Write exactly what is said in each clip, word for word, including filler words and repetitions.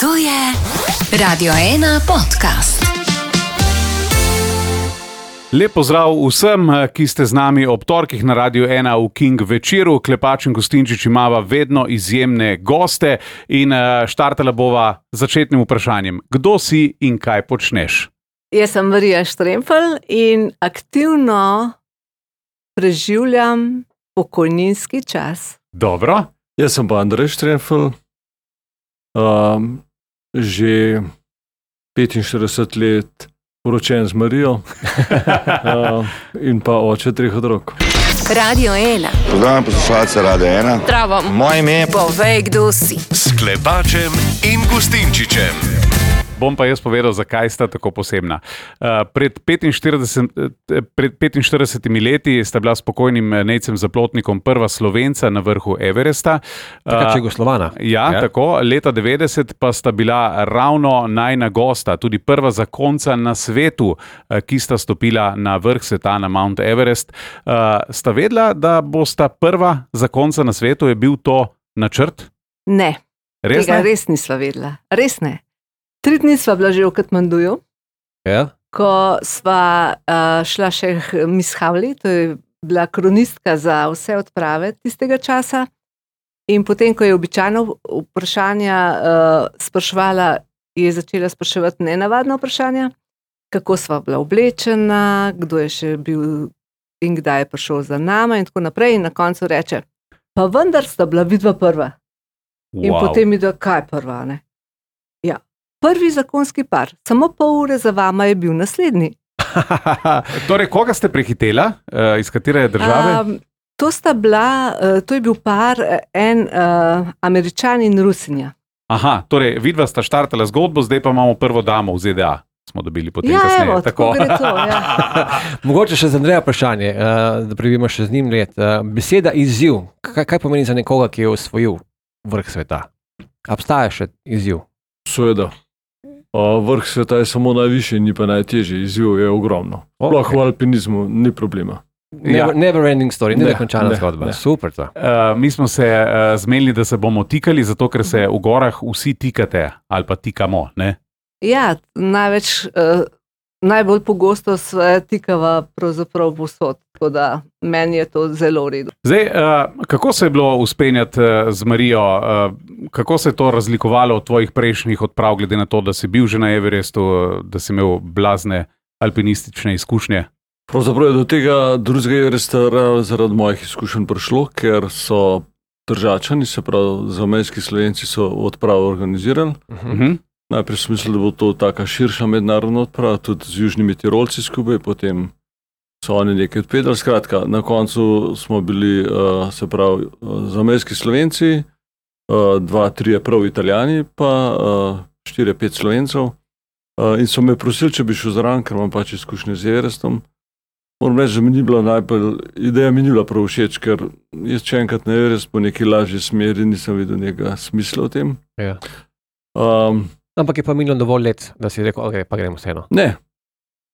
To je Radio ena podcast. Lep pozdrav vsem, ki ste z nami ob torkih na Radiu ena v King večeru. Klepač in Gustinčič imava vedno izjemne goste in štartala bova začetnim vprašanjem. Kdo si in kaj počneš? Jaz sem Marija Štremfelj in aktivno preživljam pokojninski čas. Dobro. Jaz sem pa Andrej Štremfelj, um, že petinštirideset let poročen z Marijo uh, in pa oče treh otrok. Radio ena. Pozdravljam poslušalce Radia ena. Zdravo. Moje ime je Povej, kdo si. S Klepačem in Gustinčičem. Bom pa jaz povedal, zakaj sta tako posebna. Uh, pred, petinštirideset, pred petinštiridesetimi leti sta bila s pokojnim Nejcem Zaplotnikom prva Slovenca na vrhu Everesta. Takrat Jugoslovana. Uh, ja, ja, tako. Leta devetdeset pa sta bila ravno najina gosta, tudi prva zakonca na svetu, uh, ki sta stopila na vrh sveta, na Mount Everest. Uh, sta vedela, da bosta prva zakonca na svetu? Je bil to načrt? Ne, Res tega ne? res nisva vedela. Res ne. Tri dni sva bila že v Katmanduju, Ja? ko sva uh, šla še k Miss Havli, to je bila kronistka za vse odprave tistega časa. In potem, ko je običajno vprašanja uh, spraševala, je začela spraševati nenavadna vprašanja, kako sva bila oblečena, kdo je še bil in kdaj je prišel za nama in tako naprej. In na koncu reče, pa vendar sta bila vidva prva. In Wow. potem mi da, kaj prva, ne? Ja. Prvi zakonski par, samo pol ure za vama je bil naslednji. Torej, koga ste prehitela? Uh, iz katere države? Um, to sta bila, uh, to je bil par, uh, en uh, Američan in Rusinja. Aha, torej, vidva sta štartala zgodbo, zdaj pa imamo prvo damo v Z D A. Smo dobili potem Ja, kasneje. evo, tako gre to, ja. Mogoče še za Andreja vprašanje, uh, da prebijemo še z njim let. Uh, beseda izziv, kaj, kaj pomeni za nekoga, ki je osvojil vrh sveta? Obstaja še izziv? Seveda. Uh, vrh sveta je samo najvišji, ni pa najtežji, izziv je ogromno. Sploh Okay. v alpinizmu ni problema. Ja. Never, never ending story, ne Ne, nekončana ne, zgodba. ne. Super to. Uh, mi smo se uh, zmenili, da se bomo tikali, zato ker se v gorah vsi tikate ali pa tikamo. Ne? Ja, največ, uh, najbolj pogosto se tikava pravzaprav povsod, tako da meni je to zelo v redu. Zdaj, uh, kako se je bilo uspenjati uh, z Marijo? Uh, kako se je to razlikovalo od tvojih prejšnjih odprav, glede na to, da si bil že na Everestu, uh, da si imel blazne alpinistične izkušnje? Pravzaprav je do tega drugega Everesta zaradi mojih izkušenj prišlo, ker so Tržačani, se pravi zamejski Slovenci, so odpravo organizirali. Uh -huh. Najprej sem mislil, da bo to taka širša mednarodna odprava, tudi z južnimi Tirolci skupaj, potem so oni nekaj odpedali. Skratka, na koncu smo bili, uh, se pravi, uh, zamejski Slovenci, uh, dva, trije prav Italijani, pa uh, štiri, pet Slovencev. Uh, in so me prosili, če bi šel zraven, ker imam pač izkušnje z Everestom. Moram reči, da mi ni bila najbolj, ideja mi ni bila prav všeč, ker jaz če enkrat na Everest po neki lažji smeri nisem videl nekega smisla v tem. Ja. Um, Ampak je pa minilo dovolj let, da si rekel, ok, pa gremo vseeno. Ne.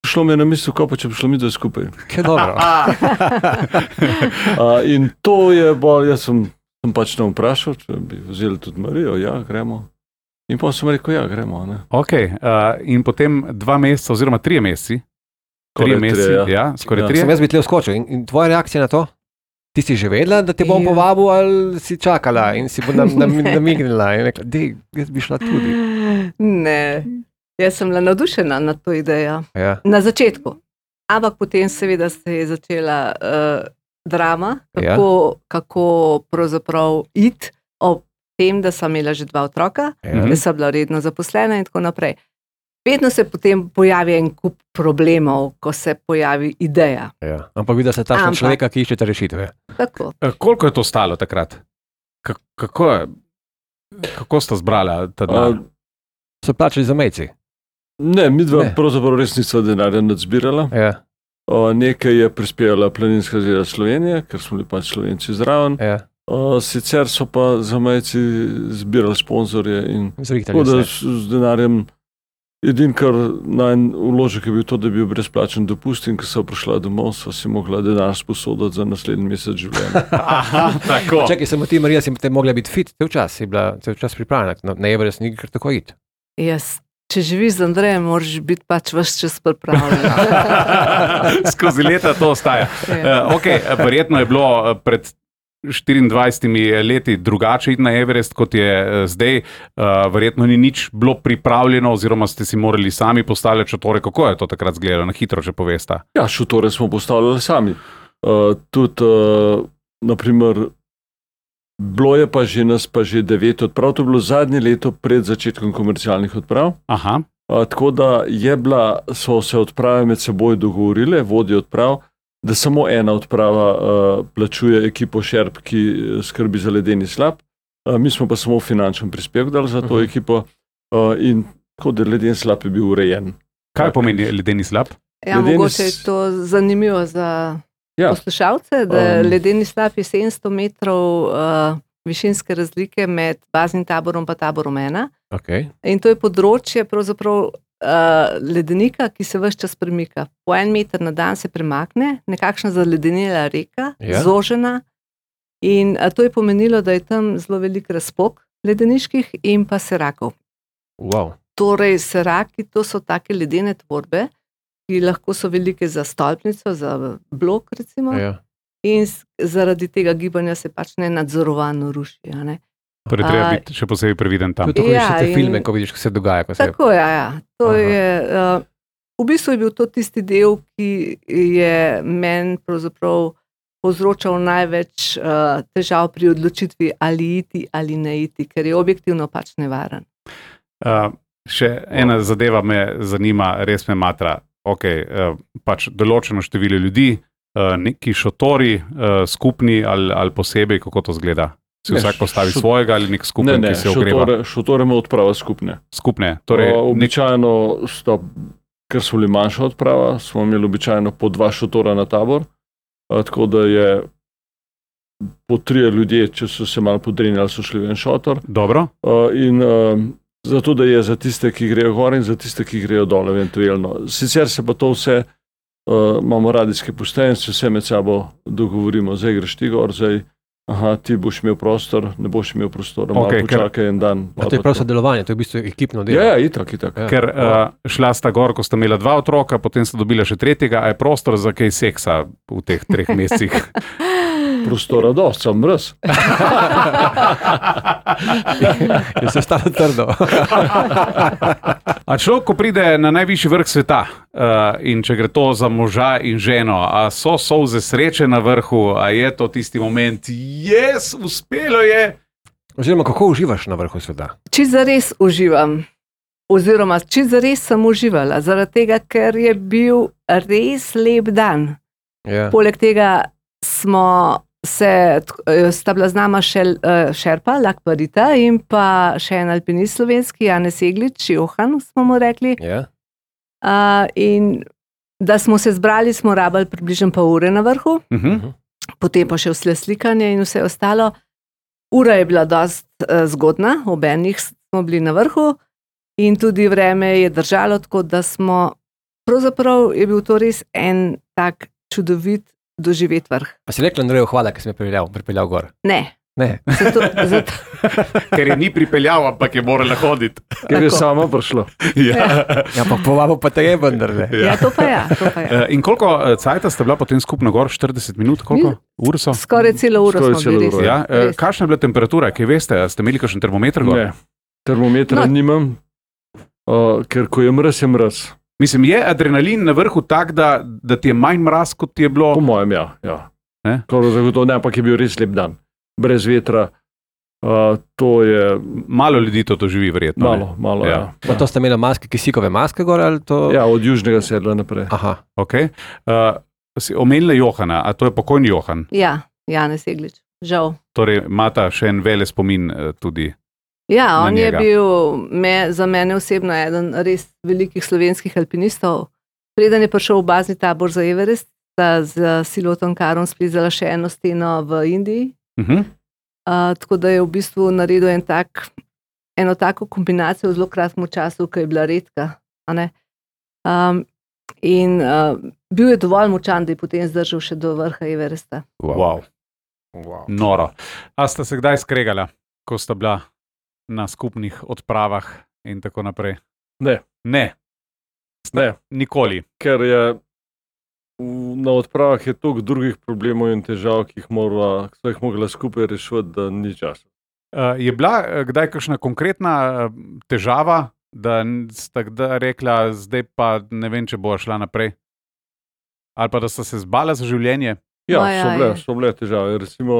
Šlo mi je na misel, ko pa če bi šlo mi dve skupaj. Kaj dobro. Uh, in to je bolj, jaz sem, sem pač tam vprašal, če bi vzeli tudi Marijo, ja, gremo. In pa sem rekel, ja, gremo. Ne. Okay, uh, in potem dva meseca, oziroma trije meseci, trije Skoraj meseci, trije, ja. ja. Ja, skoraj Ja. trije. Sem jaz bi tle vskočil. In, in tvoja reakcija na to? Ti si že vedela, da te bom Ja. povabil, ali si čakala in si bo nam, nam, namignila in rekla, dej, jaz bi šla tudi. Ne, jaz sem bila navdušena nad to idejo. Ja. Na začetku. Ampak potem seveda se je začela uh, drama, kako, ja. kako pravzaprav iti ob tem, da sem imela že dva otroka, Ja. da sem bila redno zaposlena in tako naprej. Vedno se potem pojavi en kup problemov, ko se pojavi ideja. Ja. Ampak videla se takšna Ampak- človeka, ki iščete rešitve. Tako. Uh, koliko je to stalo takrat? K kako, je- kako sta zbrala ta denar? Uh, So plačali za mejci. ne, mi dva Ne. pravzaprav res nisva denarja nadzbirala. Ja. Uh, nekaj je prispevala Planinska zveza Slovenije, ker smo bili pač Slovenci zraven. Ja. Uh, sicer so pa zamejci zbirali sponzorje in Zrihtali tako da se. s, z denarjem. Edin, kar najn vložek je bil to, da je bil brezplačen dopust in ko so prišla domov, so si mogla denar sposoditi za naslednji mesec življenja. Aha, tako. Čakaj, samo ti, Marija, si te mogla biti fit, cel čas si bila cel čas pripravljena, na, na Everest ni kar tako iti. Jaz, če živiš z Andrejem, moraš biti pač vse čas pripravljen. Skozi leta to ostaja. Uh, okay, verjetno je bilo pred štiriindvajsetimi leti drugače iti na Everest, kot je zdaj. Uh, verjetno ni nič bilo pripravljeno, oziroma ste si morali sami postavljati šotore. Kako je to takrat izgledalo? Na hitro, če poveste. Ja, šotore smo postavljali sami. Uh, tudi, uh, naprimer, bilo je pa že nas pa že devet odprav, to je bilo zadnje leto pred začetkom komercialnih odprav. Aha. A, tako da je bila, so se odprave med seboj dogovorile, vodje odprav, da samo ena odprava a, plačuje ekipo Šerp, ki skrbi za ledeni slap. A, mi smo pa samo finančen prispevek dali za to uh-huh. ekipo a, in tako da ledeni slap je bil urejen. Kaj tak, pomeni ledeni slap? Ja, ledeni mogoče je to zanimivo za ja. poslušalce, da um, ledeni slap je sedemsto metrov uh, višinske razlike med baznim taborom pa taborom ena. Okay. In to je področje pravzaprav uh, ledenika, ki se ves čas premika. Po en meter na dan se premakne, nekakšna zaledenela reka, ja. zožena. In uh, to je pomenilo, da je tam zelo velik razpok ledeniških in pa serakov. Wow. Torej, seraki, to so take ledene tvorbe, ki lahko so velike za stolpnico, za blok recimo, ja. in zaradi tega gibanja se pač nenadzorovano ruši. Ne? Torej, treba biti še posebej previden tam. Tudi, ko vidiš ja, te filme, ko vidiš, kaj se dogaja. Ko tako, se... ja, ja. To je, uh, v bistvu je bil to tisti del, ki je meni pravzaprav povzročal največ uh, težav pri odločitvi ali iti ali ne iti, ker je objektivno pač nevaren. Uh, še ena zadeva me zanima, res me matra. Ok, uh, pač določeno število ljudi, uh, neki šotori, uh, skupni ali, ali posebej, kako to zgleda? Si ne, vsak postavi šot... svojega ali nek skupen, ne, ne, ki se ogreva? Ne, šotore ima odprava skupne. Skupne? Torej, o, običajno, sta, ker so bili manjša odprava, smo imeli običajno po dva šotora na tabor, a, tako da je po trije ljudje, če so se malo podrinjali, so šli v en šotor. Dobro. A, in a, zato, da je za tiste, ki grejo gor in za tiste, ki grejo dol, eventualno. Sicer se pa to vse, uh, imamo radijske postaje in se vse med sabo dogovorimo. Zdaj greš ti gor, zdaj, aha, ti boš imel prostor, ne boš imel prostora, malo okay, počakaj ker... en dan. A to je prav sodelovanje, to je v bistvu ekipno delo. Ja, ja, itak, itak. Ja. Ker uh, šla sta gor, ko sta imela dva otroka, potem sta dobila še tretjega, a je prostor za kaj seksa v teh treh mesecih? Prostora dost, sem brez. Je se stalo trdo. A človek, ko pride na najvišji vrh sveta uh, in če gre to za moža in ženo, a so solze sreče na vrhu, a je to tisti moment, jes, uspelo je? Oziroma, kako uživaš na vrhu sveta? Čisto zares uživam. Oziroma, čisto zares sem uživala, zaradi tega, ker je bil res lep dan. Ja. Poleg tega smo se, sta bila z nama še Šerpa, Lakparita in pa še en alpinist slovenski, Janez Jeglič, Johan smo mu rekli. Yeah. Uh, in da smo se zbrali, smo rabili približno pol ure na vrhu, uh-huh. potem pa še vse slikanje in vse ostalo. Ura je bila dost uh, zgodna, ob enih smo bili na vrhu in tudi vreme je držalo, tako da smo, pravzaprav je bil to res en tak čudovit doživeti vrh. A si rekla Andreju hvala, ker si me pripeljal, pripeljal gor? Ne. Ne. Zato, zato... Ker je ni pripeljal, ampak je morala hoditi. Ker je sama prišla. Ja, ja pa povabo pa te je vendar. Ja. ja, to pa ja. To pa ja. In koliko cajta sta bila potem skupno gor? štirideset minut? Koliko? Ur so? Skoraj celo uro Skoraj smo bili. Ja. Kakšna je bila temperatura? Kaj veste? Ste imeli kakšen termometer gor? Ne. Termometra no. nimam, uh, ker ko je mraz, je mraz. Mislim, je adrenalin na vrhu tak, da, da ti je manj mraz, kot ti je bilo? Po mojem, ja. ja. Ne? Zagotovo, ne, ampak je bil res lep dan. Brez vetra. Uh, to je... Malo ljudi to doživi, verjetno. Malo, ne? malo, ja. ja. Pa to ste imeli maske, kisikove maske gor? Ali to... Ja, od južnega sedla naprej. Aha. Ok. Uh, si omenila Johana, a to je pokojni Johan? Ja, Janez Jeglič. Žal. Torej, imata še en vele spomin uh, tudi. Ja, on je bil me, za mene osebno eden res velikih slovenskih alpinistov. Preden je prišel v bazni tabor za Everest, sta z Silotom Karom splizala še eno steno v Indiji. Uh-huh. Uh, tako da je v bistvu naredil en tak, eno tako kombinacijo v zelo kratkem času, ki je bila redka. Um, in uh, bil je dovolj močan, da je potem zdržal še do vrha Everesta. Wow. Wow. Noro. A sta se kdaj skregala, ko sta bila na skupnih odpravah in tako naprej? Ne. Ne. Sta, Ne. Nikoli. Ker je v, na odpravah je toliko drugih problemov in težav, ki jih mora, ki so jih mogla skupaj rešiti, da ni časa. Uh, je bila uh, kdaj kakšna konkretna uh, težava, da sta kdaj rekla, zdaj pa ne vem, če bo šla naprej? Ali pa da sta se zbala za življenje? Ja, Ma ja, so bile, je. so bile težave. Recimo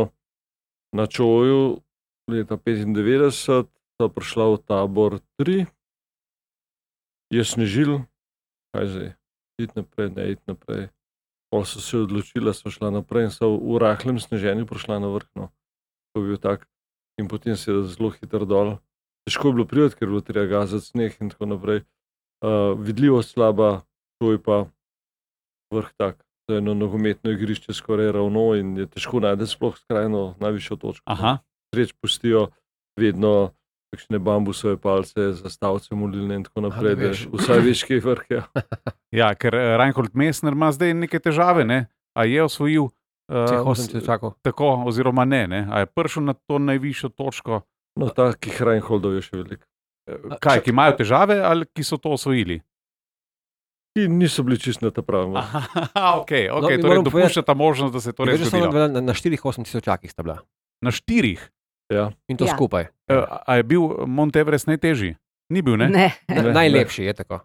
na Čoju leta petindevetdeset sta prišla v tabor tri, je snežil, kaj zdaj, iti naprej, ne iti naprej. Pol so se odločila, so šla naprej in so v rahlem sneženju prišla na vrh. No. To je bil tak. In potem se je zelo hitro dol. Težko je bilo priti, ker je bilo treba gazati sneh in tako naprej. Uh, vidljivost slaba, to je pa vrh tak. To je eno nogometno igrišče skoraj ravno in je težko najti sploh skrajno najvišjo točko. Aha. Sreč pustijo vedno kakšne bambusove palce, zastavce molilne in tako naprej, da da veš. vsaj veš, kje je vrh. Ja. Ja, ker uh, Reinhold Messner ima zdaj neke težave, ne? A je osvojil Vseh uh, osem tisočakov. tako, oziroma ne, ne? A je prišel na to najvišjo točko? No, takih Reinholdov je še veliko. Uh, kaj, ki imajo težave ali ki so to osvojili? Ki niso bili čist na ta pravem. Aha, ok, okay. No, Torej moram dopuščata možnost, da se to res Veš, da so zgodilo. na, na štirih osem tisočakih sta bila. Na štirih. Ja. In to Ja. skupaj. Uh, a je bil Mount Everest najtežji? Ni bil, ne? Ne. Na, Ne, najlepši je tako.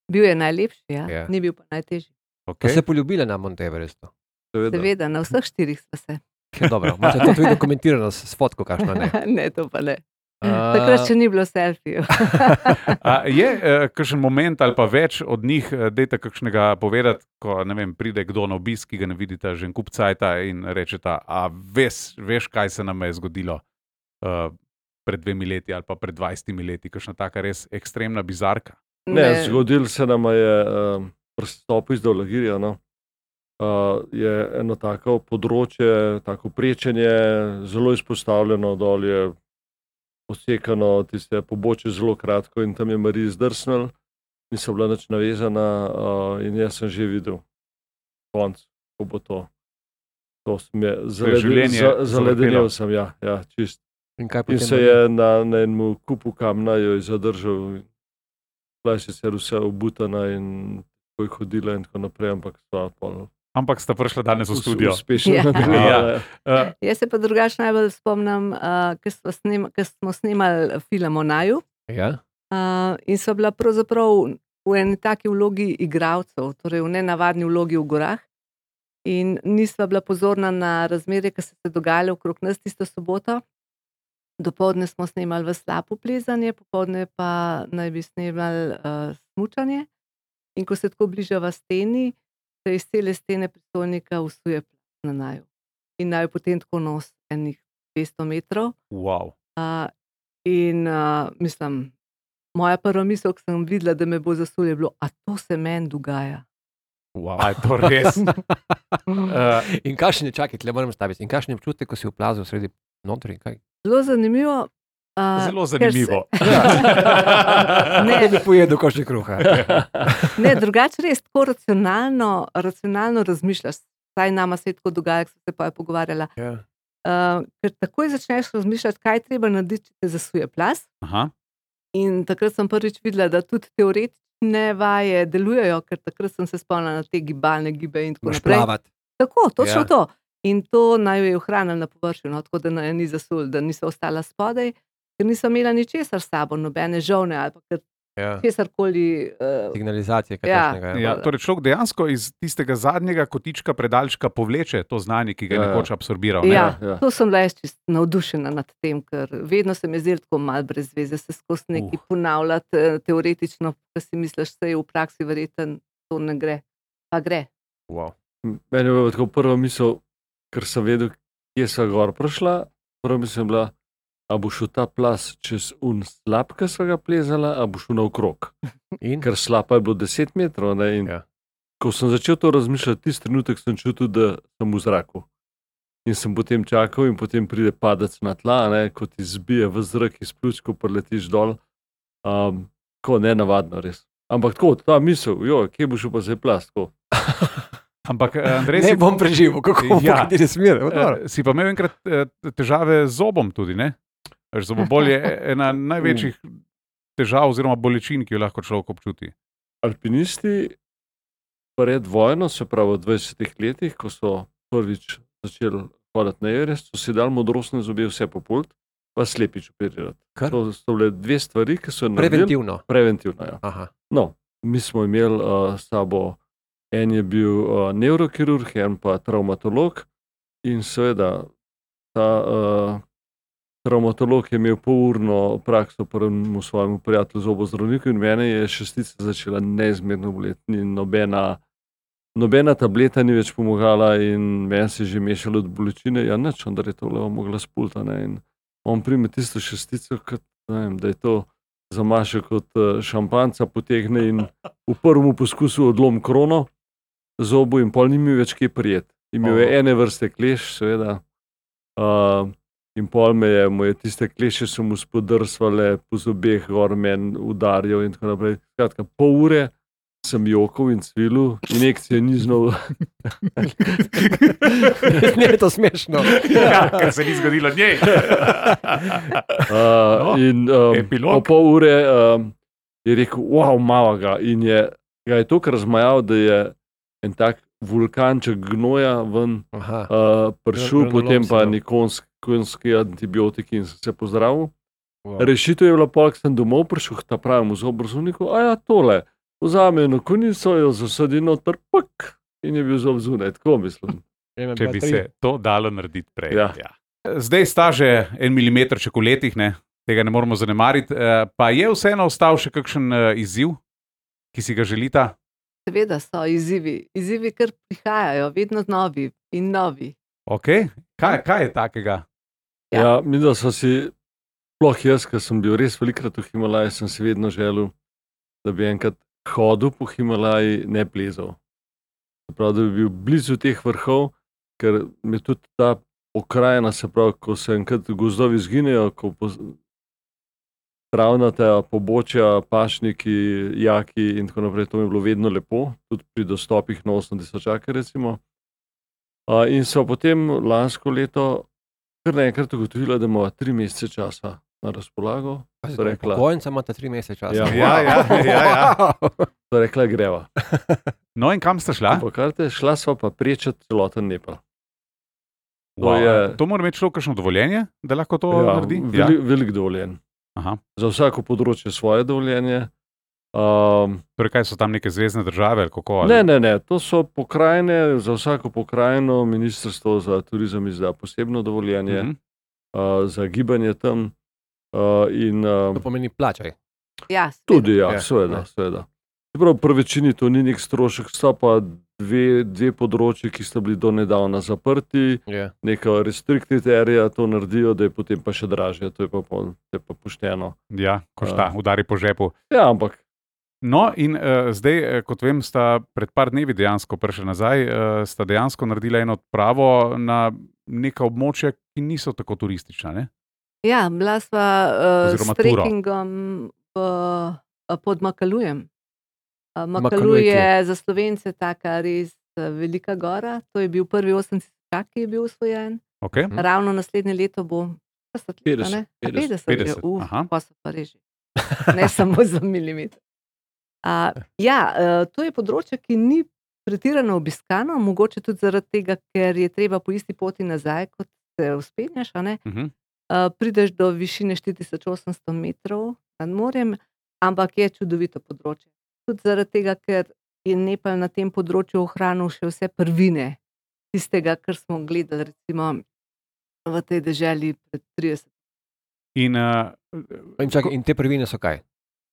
Bil je najlepši, ja. Ja. Ni bil pa najtežji. Okay. Okay. Se poljubila na Mount Everestu. Seveda. Seveda, na vseh štirih sva se. Ja, dobro, moče to tudi dokumentirano s, s fotko, kakšno ne. ne, to pa ne. A, Takrat še ni bilo selfijev. A je uh, kakšen moment ali pa več od njih, uh, dejte kakšnega povedati, ko ne vem, pride kdo na obisk, ki ga ne vidite že en kup cajta in rečeta, a veš, veš, kaj se nam je zgodilo uh, pred dvemi leti ali pa pred dvajsetimi leti, kakšna taka res ekstremna bizarka. Ne, zgodil se nam je um, prstop iz Dolagirja. No. Uh, je eno tako področje, tako prečenje, zelo izpostavljeno, dol je posekano, tiste pobočje zelo kratko in tam je Marija zdrsnil, nisem bila nič navezana uh, in jaz sem že videl konc, ko bo to. To sem je, zaleden, življenje za, zavrtelo. zaledenel sem, ja, ja, čist. In, kaj In potem se bo- je na, na enem kupu kamna jo je zadržal. Bila je sicer vse obutana in tako je hodila in tako naprej, ampak sva pol Ampak sta prišla danes v us- studio. uspešno Ja. nadaljevala. Uh, Jaz se pa drugače najbolj spomnim, uh, ker smo, snem, smo snemali film o Naju Ja? uh, in so bila pravzaprav v eni taki vlogi igralcev, torej v nenavadni vlogi v gorah. In nisva bila pozorna na razmere, ki so se dogajale okrog nas tisto soboto. Dopoldne smo snemali v slapu plezanje, popoldne pa naj bi snemali uh, smučanje. In ko se tako bližava steni, se iz cele stene prestolnika usuje plaz na Naju. In naj potem tako nos enih dvesto metrov. wow. Uh, in uh, mislim, moja prva misel, ko sem videla, da me bo zasulje, je bilo, a to se meni dogaja. Wow. A je to res? Uh, In kakšen je, čakaj, tle moram staviti, in kakšen je občutek, ko si v plazu sredi notri? Kaj? Zelo zanimivo. Uh, zelo ker se- zanimivo. Ne, Ne bi pojedel košček kruha. ne, drugače res tako racionalno, racionalno razmišljaš. Saj nama se je tako dogaja, ko sem se pa je pogovarjala. Ja. Uh, ker takoj začneš razmišljati, kaj je treba narediti, če te zasuje plaz. Aha. In takrat sem prvič videla, da tudi teoretične vaje delujejo, ker takrat sem se spomnila na te gibalne gibe in tako Moraš naprej. plavati. Tako, točno Ja. ja. to. In to naj jo je ohranilo na površju, no, tako da naj jo ni zasul, da niso ostala spodaj, ker nisem imela ničesar s sabo, nobene žovne ali pa Ja. česarkoli. Uh, Signalizacije, kaj Ja. takšnega. Ja. Ja, torej človek dejansko iz tistega zadnjega kotička predalčka povleče to znanje, ki ga je Ja, ja. nekoč absorbiral. Ne? ja, ja. to sem bila jaz čisto navdušena nad tem, ker vedno se mi je zdelo tako malo brez veze, se skozi nekaj Uh. uh. ponavljati eh, teoretično, pa si misliš, da je v praksi verjeten, to ne gre. Pa gre. Wow. Meni je bila tako prva misel, ker sem vedel, kje sem gor prišla. Prva misel je bila, a bo šel ta plas čez un slap, ki so ga plezala, a bo šel naokrog. In? Ker slapa je bilo deset metrov. Ne, in Ja. ko sem začel to razmišljati, tisti trenutek sem čutil, da sem v zraku. In sem potem čakal, in potem pride padec na tla, ne, ko ti zbije v zrak iz pljuč, ko preletiš dol. Um, tako ne navadno, res. Ampak tako, ta misel, jo, kje bo šel pa zdaj plas? Tako. Ampak eh, Andrej, Ne si, bom preživel, kako Ja. ja. kateri smer. eh, si pa imel enkrat eh, težave z zobom tudi, ne? Veš, zobobol je ena največjih težav oziroma bolečin, ki jo lahko človek občuti? Alpinisti pred vojno, se pravi v dvajsetih letih, ko so prvič začeli hoditi na Everest, so si dali modrostne zobe vse popult, pa slepič operirati. Kar? To so bile dve stvari, ki so naredili. Preventivno. Preventivno, ja. Aha. No, mi smo imeli uh, s sabo, en je bil uh, nevrokirurg, en pa travmatolog in seveda ta uh, travmatolog je imel polurno prakso prvemu svojemu prijatelju zobozdravniku in mene je šestica začela neizmerno boleti. Ni nobena, nobena tableta ni več pomagala in meni se je že mešalo od bolečine, ja nič, onda je to levo mogla spulta. Ne? In on prime tisto šestico, kot, ne vem, da je to zamaše kot šampanca, potegne in v prvem poskusu odlom krono zobu in pol ni mi več kje prijet. Imel je ene vrste kleš, seveda, uh, in pol me je, mu je tiste kleše so mu spodrsvale po zobeh, gor men udarjal in tako naprej. Skratka, pol ure sem jokal in cvilil, injekcije ni znal. Ne je to smešno. Ja, ker se ni zgodilo njej. Uh, No, in um, epilog. po pol ure um, je rekel, wow, malo ga. In je, ga je toliko razmajal, da je en tak vulkanček gnoja ven Aha. uh, prišel, Granulom potem si pa dal. nikonski konski antibiotiki in sem se pozdravil. Wow. Rešitev je bila pa, ko sem domov prišel, ta pravemu zobozdravniku, a ja, tole, vzame eno konico, jo zasadi noter, pak, in je bil zob zunaj, tako mislim. Če bi se to dalo narediti prej. Ja. Ja. Zdaj sta že en milimetrček v letih, ne? Tega ne moramo zanemariti. Eh, Pa je vseeno ostal še kakšen eh, izziv, ki si ga želita? Seveda so izzivi. Izzivi, ker prihajajo, vedno novi in novi. Okay. Kaj, kaj je takega? Ja. Ja, mi da so si, sploh jaz, ker sem bil res velikrat v Himalaji, sem si vedno želel, da bi enkrat hodil po Himalaji, ne plezal. Prav, da bi bil blizu teh vrhov, ker mi tudi ta pokrajina, se pravi, ko se enkrat gozdovi izginejo, ko travnata pobočja, pašniki, jaki in tako naprej, to mi je bilo vedno lepo, tudi pri dostopih na osem tisočake recimo. Uh, in so potem lansko leto kar naenkrat ugotovila, da imamo tri mesece časa na razpolago. So rekla, Pokojnica imate tri mesece časa. Ja. Ja, ja, ja, ja. so rekla greva. No in kam sta šla? Pa karte, šla sva pa prečati celoten Nepal. To Wow. je- To mora imeti človek kakšno dovoljenje, da lahko to Ja, naredi? velik, velik dovoljen. Aha. Za vsako področje svoje dovoljenje. Um, Torej, kaj so tam neke zvezdne države? Ali kako, ali? ne, ne, ne, to so pokrajine, za vsako pokrajino ministrstvo za turizem izda posebno dovoljenje, Mhm. uh, za gibanje tam. Uh, in, uh, To pomeni plačaj. Ja, seveda. Tudi, ja, Ja, seveda. ja. seveda. Čeprav pri večini to ni nek strošek, sta pa dve, dve področji, ki sta bili do nedavna zaprti, Ja. neka restricted area to naredijo, da je potem pa še dražje, to je pa, pol, to je pa pošteno. Ja, ko šta, udari po žepu. Ja, ampak No, in uh, zdaj, eh, kot vem, sta pred par dnevi dejansko prišli nazaj, uh, sta dejansko naredila eno odpravo na neka območja, ki niso tako turistična. Ne? Ja, bila sva uh, Oziroma s turo. trekkingom v, uh, pod Makalujem. Uh, Makaluj Makaluj je je za Slovence taka res uh, velika gora. To je bil prvi osem tisočak, ki je bil usvojen. Okay? Mhm. Ravno naslednje leto bo petdeset let, a ne? A petdeset, petdeset, petdeset, uf, aha. pa so pa reži. Ne samo za milimeter. Uh, ja, uh, to je področje, ki ni pretirano obiskano, mogoče tudi zaradi tega, ker je treba po isti poti nazaj, kot se vzpenjaš, a ne? Uh -huh. Uh, prideš do višine štiri tisoč osemsto metrov nad morjem, ampak je čudovito področje. Tudi zaradi tega, ker je Nepal na tem področju ohranil še vse prvine tistega, kar smo gledali recimo v tej deželi pred tridesetimi. In, uh, In, čakaj, in te prvine so kaj?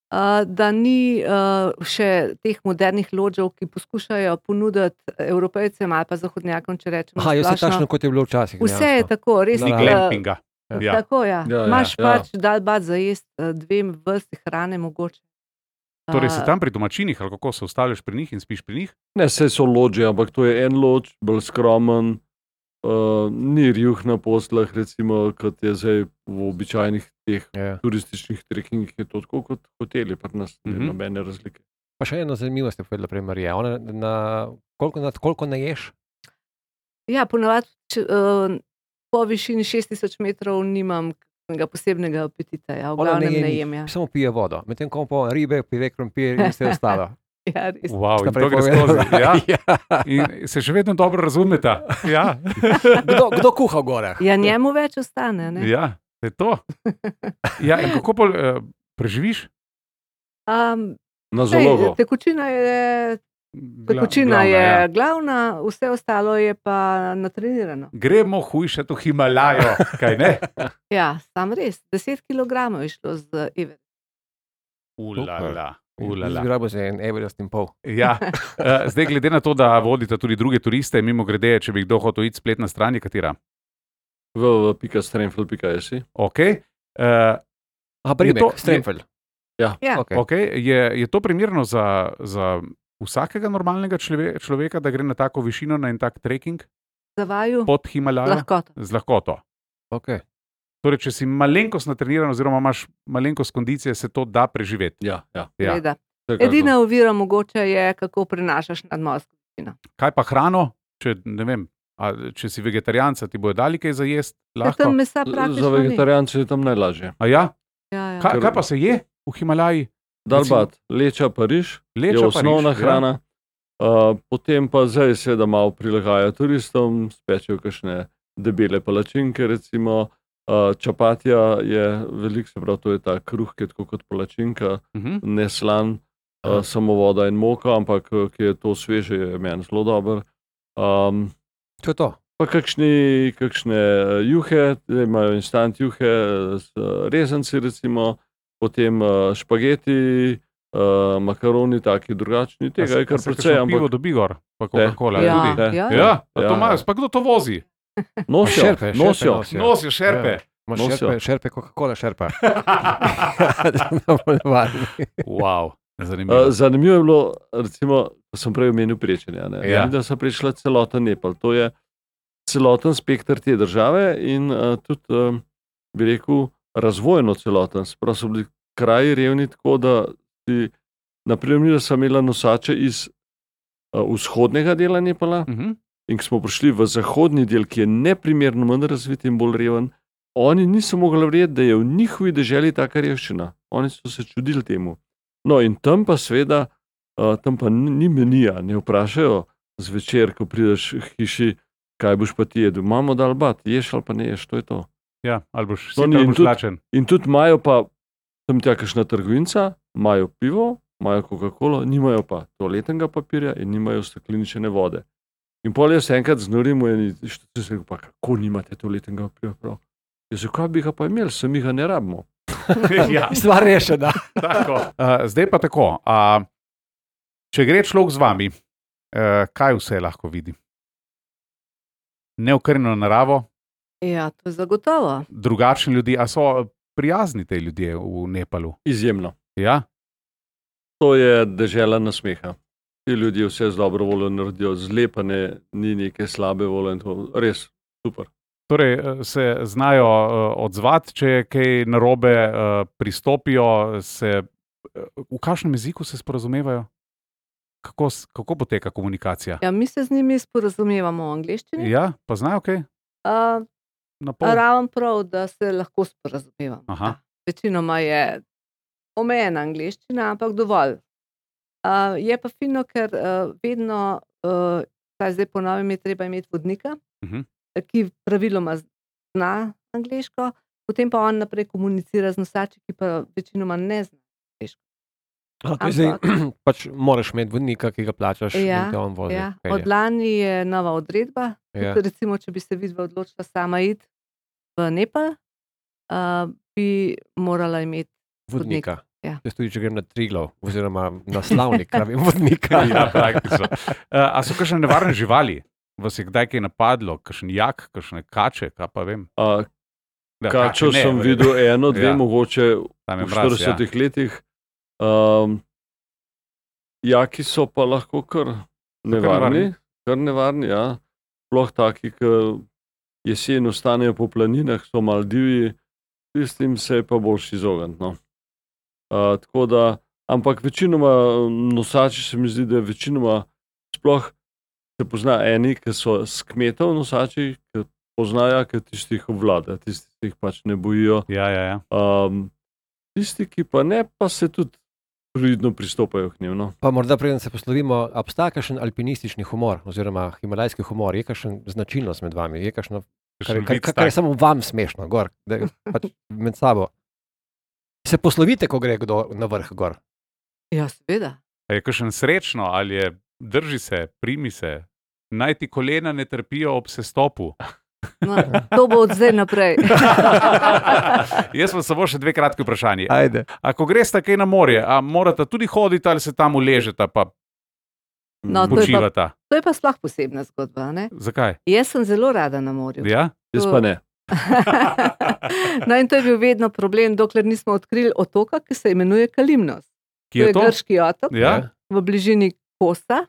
Uh, da ni uh, še teh modernih lodžev, ki poskušajo ponuditi Evropejcem ali pa zahodnjakom, če rečemo. Aha, je vse splošno. takšno, kot je bilo včasih. Vse je dejansko. tako, res. Ni ni uh, glampinga. Ja. Ja. Tako, ja. Ja, ja, Imaš ja. pač dalbat za jesti uh, dve vrsti hrane mogoče. Torej, si Uh, tam pri domačinih, ali kako se ustavljaš pri njih in spiš pri njih? ne, vse so lođe, ampak to je en lođ, bolj skromen, uh, ni rjuh na poslah, recimo, kot je zdaj v običajnih teh Ja. turističnih trekkingih, je to tako kot hoteli, pri nas ni Mhm. nobene razlike. Pa še ena zanimivost je povedala prej Marija. Ona na, koliko, na, koliko ne ješ? Ja, ponavadi če, uh, po višini šest tisoč metrov nimam kakšnega posebnega apetita, ja, v Ona glavnem je ne nič, jem. Ja. Samo pije vodo, medtem ko pa ribe, pire, krompir in vse ostalo. Ja, res. Wow, in Sta to gre prepovedala. skozi. Ja. Ja. In se še vedno dobro razumeta. Ja, Kdo, kdo kuha v gorah? Ja, njemu več ostane. Ne? ja je to. Ja, in kako pol, uh, preživiš? Um, Na sej, zalogo. tekočina je, tekočina Glavna, je ja. glavna, vse ostalo je pa natrenirano. Gremo hujše to Himalajo, kaj ne? Ja, sam res. deset kilogramov je šlo z Everest. Ulala, ulala. Zgrabo se en Everest in pol. Ja. Uh, zdaj, glede na to, da vodite tudi druge turiste, mimo grede, če bi kdo hotel iti spletna stran, je katera? v w w w pika stremfel pika si. Okay. Uh, A primek, to- Stremfel. Ja. Okay. okay. je, je to primerno za, za vsakega normalnega člove, človeka, da gre na tako višino, na en tak trekking Za vaju pod Himalajo? lahko. Z lahkoto. Okay. Torej, če si malenkost natreniran, oziroma imaš malenkost kondicije, se to da preživeti. Ja, ja. Ja. Seveda. vsekakor. Edina ovira mogoče je, kako prenašaš nadmorsko višino. Kaj pa hrano, če, ne vem, a, če si vegetarijanca, ti bojo dali kaj za jesti? Ja, tam mesa Za praktično ni. vegetarijance je tam najlažje. A ja? Ja, ja. Kaj, kaj pa se je v Himalaji? Dalbat, leča pa riž, Leča je pa osnovna riž, ja. hrana. Uh, potem pa zdaj seveda malo prilagajajo turistom, spečejo kakšne debele palačinke, recimo. Uh, čapatija je velik, se pravi, to je ta kruh, ki je tako kot palačinka, Uh -huh. ne slan, uh, samo voda in moka, ampak uh, ki je to sveže, je meni zelo dober. Um, To je to. Pa kakšni, kakšne eh, juhe, zdaj imajo instant juhe z eh, rezanci, recimo, potem eh, špageti, eh, makaroni, taki drugačni. Tega je kar precej, Pivo ampak dobi gor, pa Coca-Cola. Ja, tudi. Ne. ja. Ja, pa Ja, to imajo, ja. pa kdo to vozi? nosijo, Šerpe, šerpe nosijo. nosijo. Nosijo šerpe. Imaš Nosijo. šerpe, šerpe, Coca-Cola šerpa. Da bomo navadni. Wow, zanimivo. Eh, Zanimivo je bilo, recimo, ko sem prej omenil prečenje, ne, Ja. ja. da so prišla celoten Nepal. To je celoten spektr te države in uh, tudi, um, bi rekel, razvojno celoten. Sprav so bili kraji revni tako, da si, naprimer, sem imela nosače iz uh, vzhodnega dela Nepala Uh -huh. in ko smo prišli v zahodni del, ki je neprimerno manj razvit in bolj reven, oni niso mogli verjeti, da je v njihovi deželi taka revščina. Oni so se čudili temu. No in tam pa seveda, uh, tam pa ni ni menija, ne vprašajo zvečer, ko prideš k hiši, kaj boš pa ti jedel. Imamo dalbat, ješ ali pa ne ješ, to je to. Ja, ali boš No, si ni, ali in boš tudi- lačen. In tudi imajo pa tam tja kakšna trgovinca, imajo pivo, imajo Coca-Colo, nimajo pa toaletnega papirja in nimajo stekleničene vode. In pol jaz enkrat znorim v eni štiri, se rekel, pa kako nimate toaletnega papirja prav? Jaz rekel, kaj bi ga pa imeli, sami ga ne rabimo. Ja, Stvar rešena. tako. Uh, zdaj pa tako. Uh, če gre človek z vami, uh, kaj vse lahko vidi? Neokrnjeno naravo, Ja, to je zagotovo. drugačni ljudje, a so prijazni te ljudje v Nepalu? Izjemno. Ja? To je dežela nasmeha. Ti ljudje vse z dobro voljo naredijo, zlepane, ni neke slabe volje in to res super. Torej, eh, se znajo uh, odzvati, če je kaj narobe, uh, pristopijo, se, uh, v kakšnem jeziku se sporazumevajo? Kako, s- kako poteka komunikacija? Ja, mi se z njimi sporazumevamo v angleščini. Ja, pa znajo kaj? Uh, Na pol? Ravno prav, da se lahko sporazumevamo. Aha. Ja. Večinoma je omejena angleščina, ampak dovolj. Uh, je pa fino, ker uh, vedno, uh, kaj zdaj po novem, je treba imeti vodnika, Mhm. ki praviloma zna angleško, potem pa on naprej komunicira z nosači, ki pa večinoma ne zna angleško. A, to je zdaj, pač moraš imeti vodnika, ki ga plačaš Ja, in te on vozi. Ja. pelje. Od lani je nova odredba. Ja. Tudi, recimo, če bi se vidva odločila sama iti v Nepal, uh, bi morala imeti Vodnika. Ja. Jaz tudi, če grem na Triglav, oziroma na Slavnik, rabim vodnika. Ja, praktično. Uh, a so kakšne nevarne živali? Vas je kdaj kaj napadlo? Kakšen jak, kakšne kače, kaj pa vem? Uh, Da, Kačo kače ne, sem verjetno. videl eno, dve, Ja. ja. mogoče Tam je v mraz, ja. štiridesetih letih. Um, jaki so pa lahko kar nevarni. nevarni, kar nevarni, ja. Sploh taki, ki jesen ostanejo po planinah, so malo divji, tistim se je pa boljš izogniti. No. Uh, tako da, ampak večinoma nosači se mi zdi, da je večinoma sploh se pozna eni, ki so s kmetov nosači, ki poznajo, ker tistih obvlada, tisti, ki jih pač ne bojijo. Ja, ja, ja. Um, tisti, ki pa ne, pa se tudi pridno pristopajo k njim. No. Pa morda preden se poslovimo, obstaja kakšen alpinistični humor oziroma himalajski humor, je kakšen značilnost med vami, je kakšno, kar, kar, kar, kar je samo vam smešno, gor, da pač med sabo. Se poslovite, ko gre kdo na vrh gor? Ja, seveda. Je kakšen srečno ali je drži se, primi se, naj ti kolena ne trpijo ob sestopu. No, to bo od zdaj naprej. Jaz sem samo še dve kratki vprašanji. Ajde. A ko greste kaj na morje, a morate tudi hoditi ali se tam uležete pa No, to, je pa, počivata? to je pa sploh posebna zgodba. Ne? Zakaj? Jaz sem zelo rada na morju. Ja? Jaz pa ne. No, in to je bil vedno problem, dokler nismo odkrili otoka, ki se imenuje Kalimnos. Ki je to to? je grški otok Ja? v bližini Kosa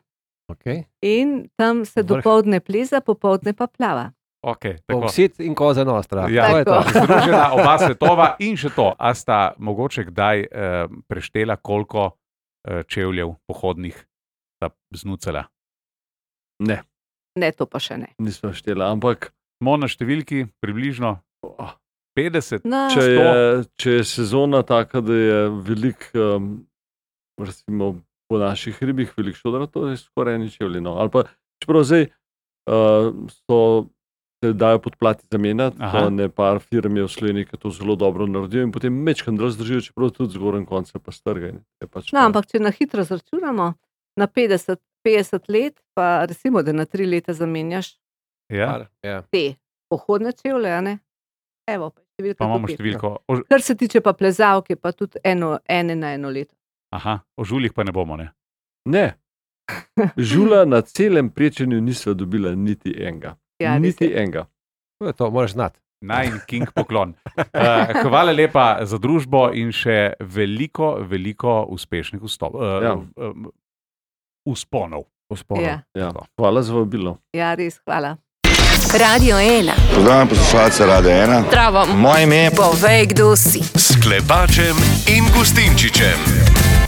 Okay. in tam se Vrh. dopoldne pleza, popoldne pa plava. Ok, tako. Ovsit in koza nostra. Ja. To je to. Tako. Združena oba svetova in še to. A sta mogoče kdaj eh, preštela, koliko eh, čevljev pohodnih sta znucala? Ne, Ne, to pa še ne. nismo štela, ampak Smo na številki približno oh, petdeset. No, če, je, če je sezona taka, da je velik, um, recimo po naših ribih, velik šodra, to je skoraj eni čevlji. No. Ali pa, čeprav zdaj uh, so se dajo podplati zamenjati, Aha. to ne par firm je v Sloveniji, ki to zelo dobro naredijo in potem mečkam razdržijo, čeprav tudi zgoren konc se pa strga. Pač no, ampak če na hitro zračunamo, na petdeset, petdeset let, pa recimo, da na tri leta zamenjaš Ja? Ja. te pohodne čevlje, a ne? Evo, pa, številka Pa imamo do pet. številko. O, Kar se tiče pa plezavke, pa tudi eno, ene na eno leto. aha, o žuljih pa ne bomo, ne? Ne. Žula na celem prečenju nisva dobila niti enega. Ja, res niti je. enega. To je to, moraš znati. Naj king poklon. Uh, hvala lepa za družbo in še veliko, veliko uspešnih vstop, uh, Ja. uh, usponov. Vzponov. Ja, Ja. Hvala za vabilo. ja, res, hvala. Radio ena. Pozdravljam poslušalce Radia ena. Zdravo. Moje ime je Povej, kdo si. S Klepačem in Gustinčičem.